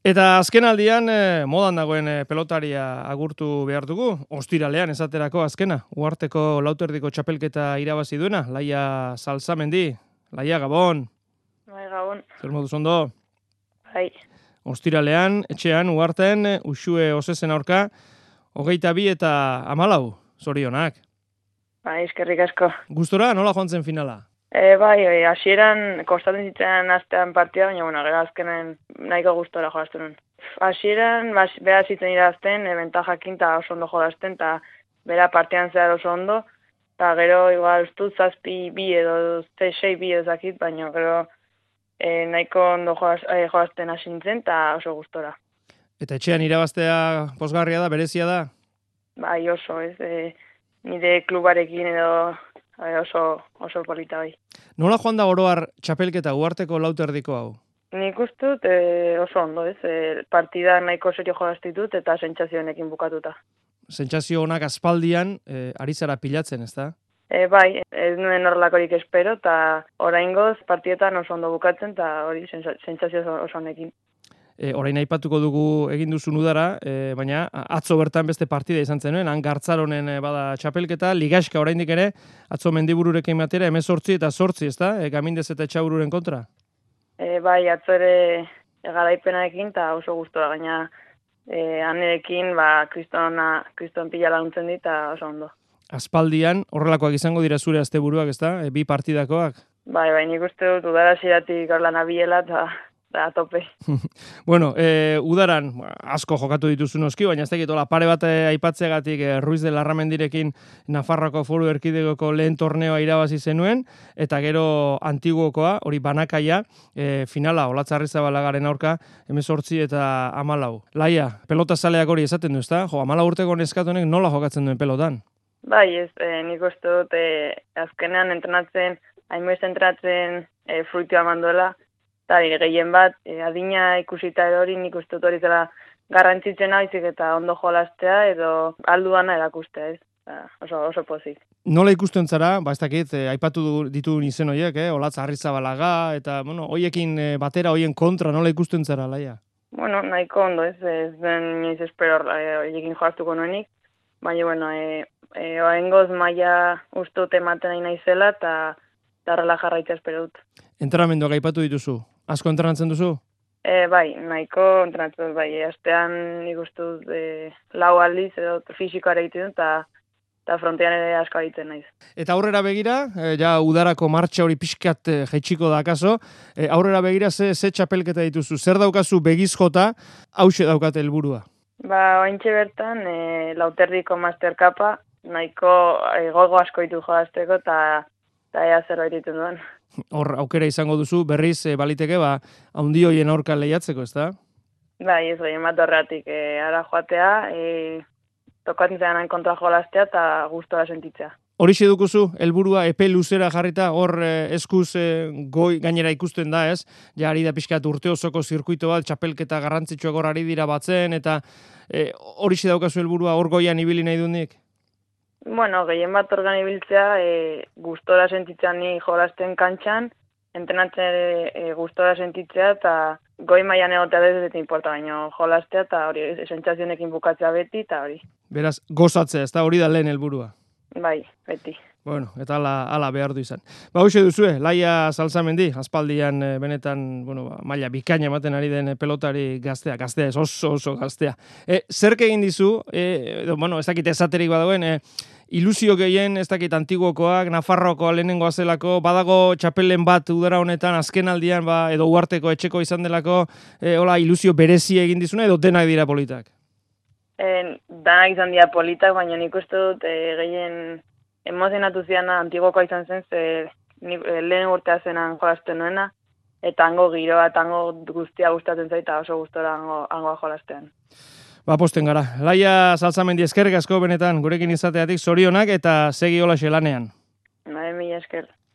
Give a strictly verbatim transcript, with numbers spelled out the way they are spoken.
Eta azken aldian, eh, modan dagoen eh, pelotaria agurtu behar dugu. Ostiralean esaterako azkena. Uharteko lauterdiko txapelketa irabazi duena. Laia Salsamendi. Laia, Gabon. Bai, Gabon. Zer moduz ondo? Bai. Ostiralean, etxean, Uharten, Uxue Osesen aurka, hogeita bi eta hamalau. Zorionak. Bai, eskerrik asko. Gustora, nola joan zen finala? E, bai, bai, hasieran kostatzen zitzen astean partida, baina, bueno, gero azkenen nahiko gustora jolazten nuen. Hasieran, bera zitzen irazten, e, bentajakin eta oso ondo jolazten, eta bera partidan zehar oso ondo, eta gero, igual, ustut zazpi bi edo, sei bi ezakit, baina gero e, nahiko ondo jolaz, e, jolazten hasi nintzen, eta oso gustora. Eta etxean irabaztea pozgarria da, berezia da? Bai, oso, ez, e, nire klubarekin edo oso, oso polita bai. Nola joan da oroar txapelketa Uharteko lauterdiko hau? Nik uste dut e, oso ondo, ez? E, partida nahiko serio jolaztitut eta sentsazioenekin bukatuta. Sentsazio honak aspaldian e, ari zara pilatzen, ezta? E, bai, ez nuen horrelakorik espero, eta oraingoz partietan oso ondo bukatzen, eta hori sentsazio oso honekin. E, orain aipatuko dugu egin duzun udara, e, baina atzo bertan beste partida izan zenuen, han Gartzaronen e, bada txapelketa, ligaxka oraindik ere, atzo Mendibururekin batera, hemezortzi eta zortzi, ezta? E, Gamindez eta Etxabururen kontra? E, bai, atzo ere garaipenarekin, eta oso gustora, gaina e, anerekin, ba, kristona, kriston pila laguntzen dit, eta oso ondo. Aspaldian, horrelakoak izango dira zure asteburuak, ezta? E, bi partidakoak? Bai, bai, nik uste dut udara ziratik orla nabiela, eta a tope. Bueno, e, udaran asko jokatu dituzu noski, baina ez dakit, pare bat aipatzegatik e, Ruiz de Larramendirekin Nafarroako Foru Erkidegoko lehen torneoa irabazi zenuen, eta gero Antiguokoa, hori banakaia, e, finala, Olatzarrizabalagaren aurka, hemezortzi eta hamalau. Laia, pelota zaleak hori esaten du, ezta? Jo, hamalau urteko neskatonek nola jokatzen duen pelotan? Bai, ez, e, nik uste dut, e, azkenean entrenatzen, hainbez entrenatzen e, fruitua manduela, eta gehien bat, e, adina ikusita edo hori nik uste dut hori zela garrantzitzen haizik eta ondo jolaztea edo alduana erakustea, ez? Ba, oso, oso pozik. Nola ikusten zara, ba ez dakit, eh, aipatu ditu izen horiek, eh? Olatz Arrizabalaga, eta, bueno, hoiekin eh, batera, hoien kontra, nola ikusten zara, Laia? Bueno, nahiko ondo, ez, ez den inoiz espero hoiekin jolaztuko nuenik, baina, bueno, e, e, oaingoz maila uste dut ematen nahi naizela, eta darrela jarraitza espero dut. Entrenamenduak aipatu dituzu? Asko entrenatzen duzu? E, bai, nahiko entrenatzen dut, bai, astean nik uste dut e, lau aldiz, edo fisikoa egiten dut, eta eta frontean ere asko egiten naiz. Eta aurrera begira, e, ja udarako martxa hori pixkat e, jaitsiko da akaso, e, aurrera begira ze, ze txapelketa dituzu, zer daukazu begiz jota, hause daukate helburua? Ba, ointxe bertan, e, lauterdiko masterkapa, nahiko e, gogo asko ditu jolazteko, eta eta ea zer egiten duen. Hor aukera izango duzu, berriz e, baliteke, ba, haundi hoien aurka lehiatzeko, ezta? Bai, ez gehien bat horretik, e, ara joatea, e, tokatzen zenan kontra jolaztea eta gustora sentitzea. Horixe dukuzu, helburua epe luzera jarrita, hor eh, eskuz eh, goi gainera ikusten da, ez? Ja, ari da pixkat urte osoko zirkuito bat, txapelketa garrantzitsuak hor ari dira batzen, eta eh, horixe daukazu helburua hor goian ibili nahi dunik? Bueno, gehien bat organ ibiltzea, e, gustora sentitzea ni jolazten kantxan, entrenatzen e, gustora sentitzea, eta goi mailan egotea ez dut importa, baina jolaztea, eta hori sentsazionekin bukatzea beti, eta hori. Beraz, gozatzea, ez da hori da lehen helburua? Bai, beti. Bueno, eta ala, ala behar du izan. Ba, hoxe duzue, Laia Salsamendi, aspaldian e, benetan, bueno, ba, maila bikaina ematen ari den pelotari gaztea, gaztea ez, oso oso gaztea. E, zerk egin dizu, e, edo, bueno, ez dakit esaterik badagoen, e, ilusio gehien, ez dakit Antiguokoak, Nafarroakoa lehenengoa zelako, badago txapelen bat udara honetan, azken aldian, ba, edo Uharteko etxeko izan delako, e, hola, ilusio berezi egin dizuna, edo denak dira politak? E, danak izan dira politak, baina nik uste dut e, gehien emozionatu ziana Antiguokoa izan zen, ze ni, e, lehen urtea zenan jolazten nuena, eta hango giroa, eta hango guztia gustatzen zaita oso gustora hango, hangoa jolaztean. Ba, posten gara. Laia Salsamendi, eskerrik asko benetan, gurekin izateatik zorionak eta segi hola xelanean. Nahi, mila esker.